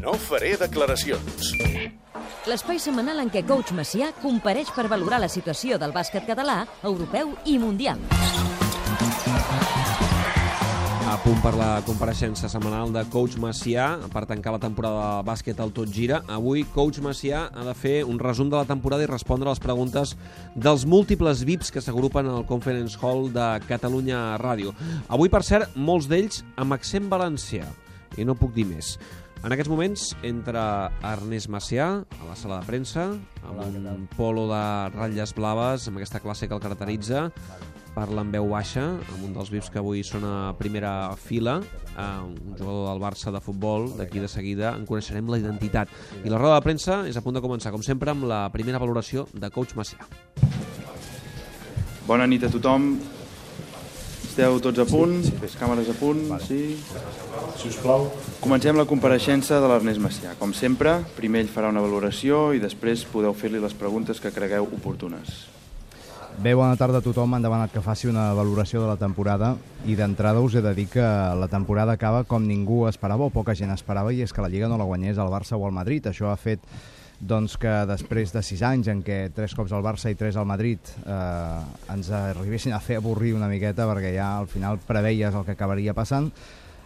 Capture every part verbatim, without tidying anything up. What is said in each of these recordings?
No faré declaracions. L'espai setmanal en què Coach Macià compareix per valorar la situació del bàsquet català, europeu i mundial. A punt per la compareixença setmanal de Coach Macià per tancar la temporada de bàsquet al Tot Gira. Avui Coach Macià ha de fer un resum de la temporada i respondre a les preguntes dels múltiples V I Ps que s'agrupen al Conference Hall de Catalunya Ràdio. Avui, per cert, molts d'ells amb accent valencià, i no puc dir més. En aquests moments entra Ernest Macià a la sala de premsa amb un polo de ratlles blaves, amb aquesta classe que el caracteritza. Parla en veu baixa, amb un dels V I Ps que avui són a primera fila, un jugador del Barça de futbol. D'aquí de seguida en coneixerem la identitat. I la roda de premsa és a punt de començar, com sempre, amb la primera valoració de Coach Macià. Bona nit a tothom. Esteu tots a punt? Les càmeres a punt? Sí? Sisplau. Comencem la compareixença de l'Ernest Macià. Com sempre, primer ell farà una valoració i després podeu fer-li les preguntes que cregueu oportunes. Bé, bona tarda a tothom. M'han demanat que faci una valoració de la temporada i d'entrada us he de dir que la temporada acaba com ningú esperava o poca gent esperava, i és que la Lliga no la guanyés el Barça o el Madrid. Això ha fet doncs, que després de sis anys en què tres cops el Barça i tres al Madrid eh, ens arribessin a fer avorrir una miqueta, perquè ja al final preveies el que acabaria passant,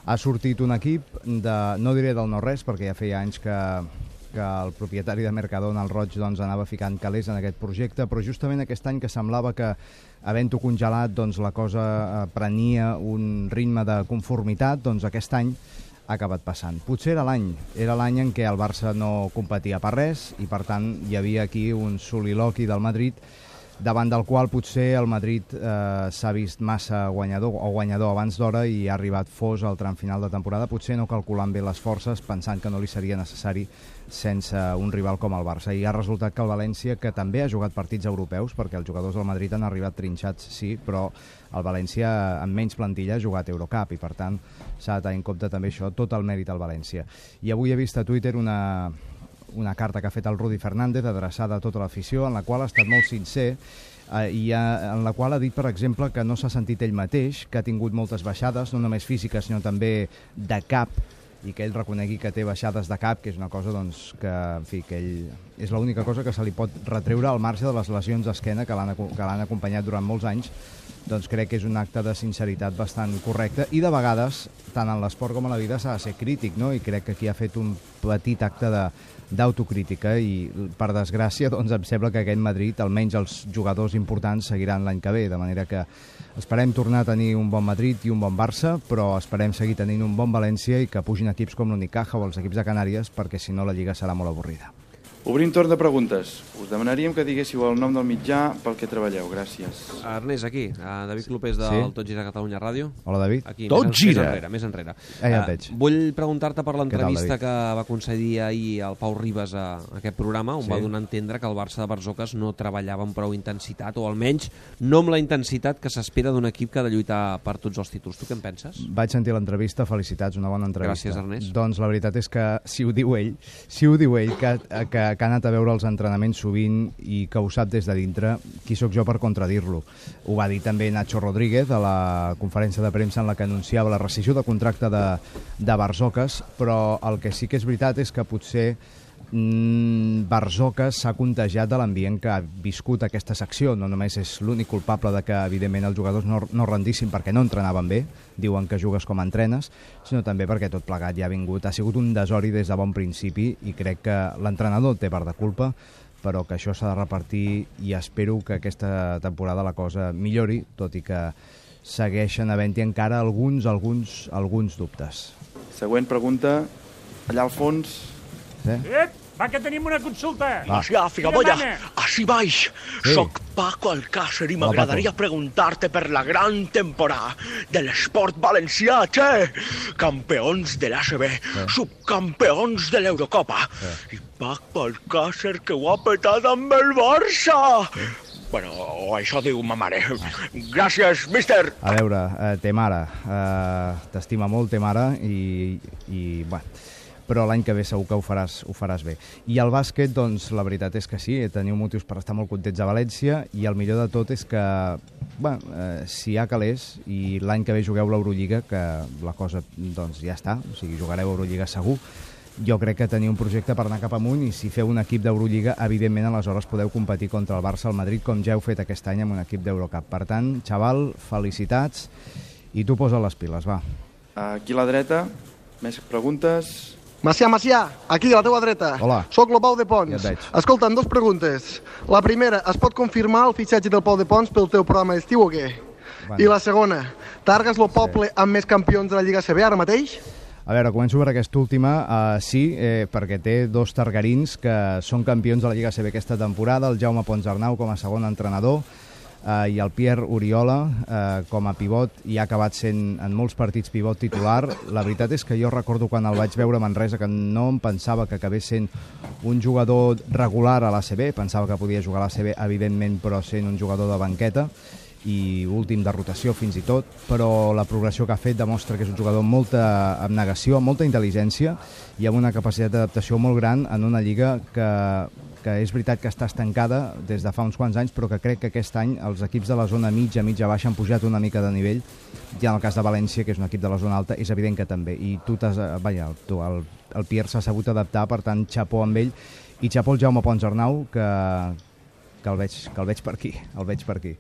ha sortit un equip de, no diré del no-res, perquè ja feia anys que que el propietari de Mercadona, el Roig, doncs, anava ficant calés en aquest projecte, però justament aquest any que semblava que, havent-ho congelat, doncs, la cosa prenia un ritme de conformitat, doncs aquest any ha acabat passant. Potser era l'any, era l'any en què el Barça no competia per res i, per tant, hi havia aquí un soliloqui del Madrid davant del qual potser el Madrid eh, s'ha vist massa guanyador o guanyador abans d'hora i ha arribat fos al tram final de temporada, potser no calculant bé les forces, pensant que no li seria necessari sense un rival com el Barça. I ha resultat que el València, que també ha jugat partits europeus, perquè els jugadors del Madrid han arribat trinxats, sí, però el València, amb menys plantilla, ha jugat Eurocup i, per tant, s'ha de tenir en compte també això, tot el mèrit al València. I avui he vist a Twitter una... una carta que ha fet el Rudi Fernández adreçada a tota l'afició, en la qual ha estat molt sincer eh, i ha, en la qual ha dit, per exemple, que no s'ha sentit ell mateix, que ha tingut moltes baixades, no només físiques, sinó també de cap, i que ell reconegui que té baixades de cap, que és una cosa doncs, que, en fi, que ell és l'única cosa que se li pot retreure al marge de les lesions d'esquena que l'han que l'han acompanyat durant molts anys. Doncs crec que és un acte de sinceritat bastant correcte, i de vegades, tant en l'esport com a la vida, s'ha de ser crític, no? I crec que aquí ha fet un petit acte de d'autocrítica i, per desgràcia, doncs em sembla que aquest Madrid, almenys els jugadors importants, seguiran l'any que ve, de manera que esperem tornar a tenir un bon Madrid i un bon Barça, però esperem seguir tenint un bon València i que pugin equips com l'Unicaja o els equips de Canàries, perquè si no la Lliga serà molt avorrida. Obrim torn de preguntes. Us demanaríem que diguéssiu el nom del mitjà pel que treballeu. Gràcies. Ernest, aquí. Uh, David Clopés del sí? Tot Gira Catalunya Ràdio. Hola, David. Aquí, Tot més, Gira. Més enrere, més enrere. Eh, ja et veig. Uh, vull preguntar-te per l'entrevista tal, que va concedir ahir el Pau Ribas a aquest programa, on sí? va donar a entendre que el Barça de Barzoques no treballava amb prou intensitat, o almenys no amb la intensitat que s'espera d'un equip que ha de lluitar per tots els títols. Tu què en penses? Vaig sentir l'entrevista, felicitats, una bona entrevista. Gràcies, Ernest. Doncs la veritat és que, si ho diu ell, si ho diu ell, que, que, que ha anat a veure els entrenaments sovint i que ho sap des de dintre, qui sóc jo per contradir-lo? Ho va dir també Nacho Rodríguez a la conferència de premsa en la que anunciava la rescissió de contracte de, de Barzoques, però el que sí que és veritat és que potser mmm, Barzoques s'ha contagiat de l'ambient que ha viscut aquesta secció. No només és l'únic culpable de que, evidentment, els jugadors no, no rendissin perquè no entrenaven bé, diuen que jugues com entrenes, sinó també perquè tot plegat ja ha vingut, ha sigut un desori des de bon principi, i crec que l'entrenador té part de culpa, però que això s'ha de repartir, i espero que aquesta temporada la cosa millori, tot i que segueixen havent-hi encara alguns, alguns, alguns dubtes. Següent pregunta, allà al fons. Sí? Ep, va, que tenim una consulta. Macià, figabolla, així baix. Sí. Soc Paco Alcácer i Hola, m'agradaria Paco. preguntar-te per la gran temporada de l'esport valencià, che! Campeons de l'A C B, Sí. subcampeons de l'Eurocopa. I Paco Alcácer, que ho ha petat amb el Barça! Bueno, o això diu ma mare. Gràcies, míster! A veure, eh, té mare, eh, t'estima molt, té mare, i, i bueno, però l'any que ve segur que ho faràs, ho faràs bé. I el bàsquet, doncs, la veritat és que sí, teniu motius per estar molt contents a València, i el millor de tot és que, bueno, eh, si hi ha calés, i l'any que ve jugueu l'Eurolliga, que la cosa, doncs, ja està, o sigui, jugareu Eurolliga segur, jo crec que teniu un projecte per anar cap amunt, i si feu un equip d'Eurolliga, evidentment aleshores podeu competir contra el Barça, el Madrid, com ja heu fet aquest any amb un equip d'Eurocup. Per tant, xaval, felicitats, i tu posa les piles, va. Aquí a la dreta, més preguntes. Macià, Macià, aquí a la teua dreta. Hola. Soc el Pau de Pons. Ja et veig. Escolta'm, dos preguntes. La primera, es pot confirmar el fitxatge del Pau de Pons pel teu programa d'estiu o què? Bueno. I la segona, t'argues el poble sí. amb més campions de la Lliga A C B ara mateix? A veure, començo per aquesta última. Uh, sí, eh, perquè té dos targarins que són campions de la Lliga A C B aquesta temporada, el Jaume Ponsarnau com a segon entrenador, Uh, i el Pierre Oriola uh, com a pivot, i ha acabat sent en molts partits pivot titular. La veritat és que jo recordo quan el vaig veure a Manresa que no em pensava que acabés sent un jugador regular a l'A C B, pensava que podia jugar a l'A C B evidentment, però sent un jugador de banqueta i últim de rotació fins i tot, però la progressió que ha fet demostra que és un jugador amb molta abnegació, amb molta intel·ligència i amb una capacitat d'adaptació molt gran en una lliga que que és veritat que està estancada des de fa uns quants anys, però que crec que aquest any els equips de la zona mitja, mitja baixa han pujat una mica de nivell, i en el cas de València, que és un equip de la zona alta, és evident que també, i tu t'has, vaja, tu, el, el Pierre s'ha sabut adaptar, per tant, xapó amb ell, i xapó el Jaume Ponsarnau, que, que, el veig, que el veig per aquí, el veig per aquí.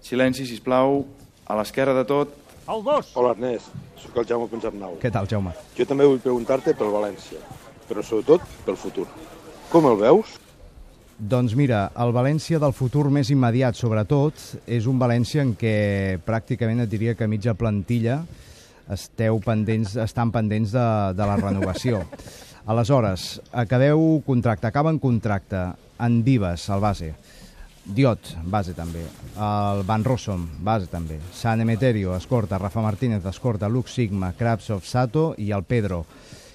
Silenci, sisplau, a l'esquerra de tot. El dos. Hola, Ernest, sóc el Jaume Ponsarnau. Què tal, Jaume? Jo també vull preguntar-te pel València, però sobretot pel futur. Com el veus? Doncs mira, el València del futur més immediat, sobretot, és un València en què pràcticament et diria que mitja plantilla esteu pendents, estan pendents de, de la renovació. Aleshores, acabeu contracte, acaben contracte en Vives, el base, Diot, base també, el Van Rossum, base també, San Emeterio, escorta, Rafa Martínez, escorta, Lux Sigma, Krabsov, Sato i el Pedro.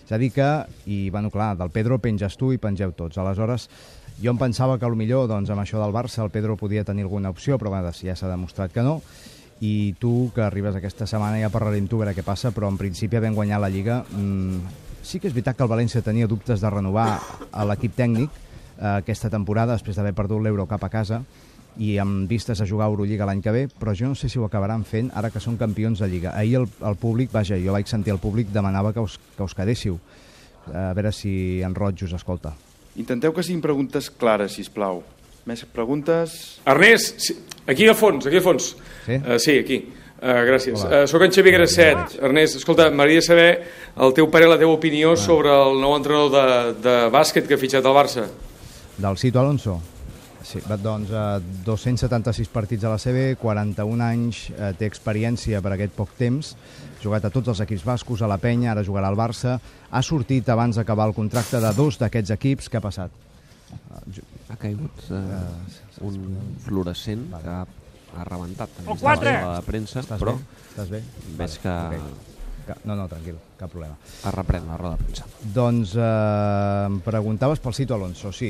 És a dir que, i bueno, clar, del Pedro penges tu i pengeu tots. Aleshores, jo em pensava que potser doncs, amb això del Barça el Pedro podia tenir alguna opció, però bueno, ja s'ha demostrat que no. I tu, que arribes aquesta setmana, ja parlarem tu, a veure què passa, però en principi havent guanyat la Lliga, mmm, sí que és veritat que el València tenia dubtes de renovar a l'equip tècnic eh, aquesta temporada, després d'haver perdut l'Eurocup a casa, i amb vistes a jugar a Eurolliga l'any que ve, però jo no sé si ho acabaran fent ara que són campions de Lliga. Ahir el, el públic, vaja, jo vaig sentir el públic, demanava que us, que us quedéssiu. A veure si en Roig us escolta. Intenteu que siguin preguntes clares, sisplau. Més preguntes? Ernest, sí, aquí a fons, aquí a fons. Sí? Uh, sí, aquí. Uh, gràcies. Uh, soc en Xavier Grasset. Ernest, escolta, m'agradaria saber el teu parer, la teva opinió ah. sobre el nou entrenador de, de bàsquet que ha fitxat al Barça. Del Cito Alonso? Sí, doncs uh, dos-cents setanta-sis partits a la C B, quaranta-un anys, uh, té experiència per aquest poc temps, jugat a tots els equips bascos, a la Penya, ara jugarà al Barça, ha sortit abans d'acabar el contracte de dos d'aquests equips. Què ha passat? Uh, ha caigut uh, uh, un fluorescent vale. que ha, ha rebentat o quatre! La premsa, Estàs però bé? Estàs bé? veig que... Okay. No, no, tranquil, cap problema. Es reprèn la roda de premsa. Doncs eh, em preguntaves pel Cito Alonso, sí.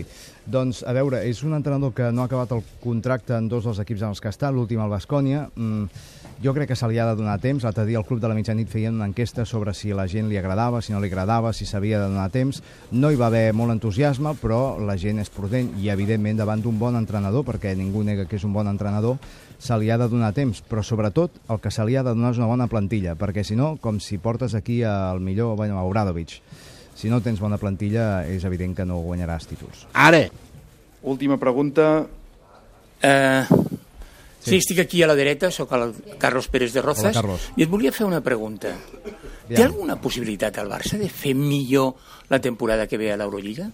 Doncs, a veure, és un entrenador que no ha acabat el contracte en dos dels equips en els que està, l'últim al Baskonia. Mm, jo crec que se li ha de donar temps. L'altre dia al Club de la Mitjanit feien una enquesta sobre si la gent li agradava, si no li agradava, si s'havia de donar temps. No hi va haver molt entusiasme, però la gent és prudent i, evidentment, davant d'un bon entrenador, perquè ningú nega que és un bon entrenador, se li ha de donar temps, però sobretot el que se li ha de donar és una bona plantilla, perquè si no, com si portes aquí al millor, bueno, a Obradovic, si no tens bona plantilla és evident que no guanyaràs títols. Ara. Última pregunta. Uh, sí. sí, estic aquí a la dreta, sóc el Carlos Pérez de Rozas. Hola, Carlos. I et volia fer una pregunta. Té alguna possibilitat al Barça de fer millor la temporada que ve a l'Eurolliga?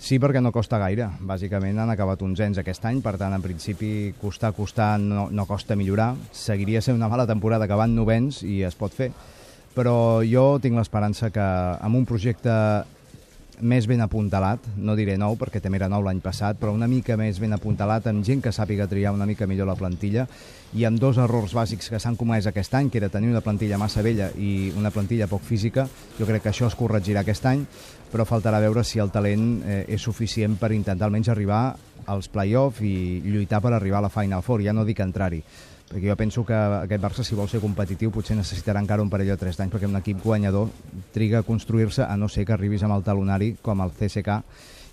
Sí, perquè no costa gaire. Bàsicament han acabat onzens aquest any, per tant, en principi, costar, costar, no, no costa millorar. Seguiria sent una mala temporada que van novens i es pot fer. Però jo tinc l'esperança que amb un projecte més ben apuntalat, no diré nou perquè també era nou l'any passat, però una mica més ben apuntalat, amb gent que sàpiga triar una mica millor la plantilla, i amb dos errors bàsics que s'han comès aquest any, que era tenir una plantilla massa vella i una plantilla poc física, jo crec que això es corregirà aquest any, però faltarà veure si el talent eh, és suficient per intentar almenys arribar als play-off i lluitar per arribar a la Final Four, ja no dic entrar-hi, perquè jo penso que aquest Barça, si vol ser competitiu, potser necessitarà encara un parell o tres d'anys, perquè un equip guanyador triga a construir-se, a no ser que arribis amb el talonari com el C S K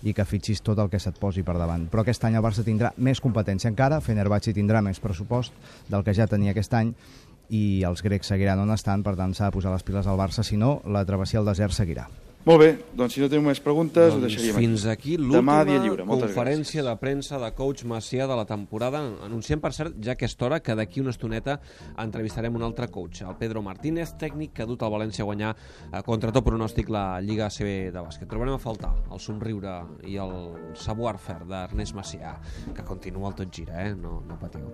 i que fitxis tot el que se't posi per davant. Però aquest any el Barça tindrà més competència encara, Fenerbahçe tindrà més pressupost del que ja tenia aquest any, i els grecs seguiran on estan, per tant s'ha de posar les piles al Barça, si no, la travessia al desert seguirà. Molt bé, doncs si no teniu més preguntes doncs ho deixaríem fins aquí Demà dia l'última lliure. Moltes conferència gràcies. de premsa de coach Macià de la temporada. Anunciem, per cert, ja a aquesta hora, que d'aquí una estoneta entrevistarem un altre coach, el Pedro Martínez, tècnic que ha dut el València a guanyar eh, contra tot pronòstic la Lliga A C B de bàsquet. Trobarem a faltar el somriure i el savoir-faire d'Ernest Macià, que continua el tot gira, eh? No, no patiu.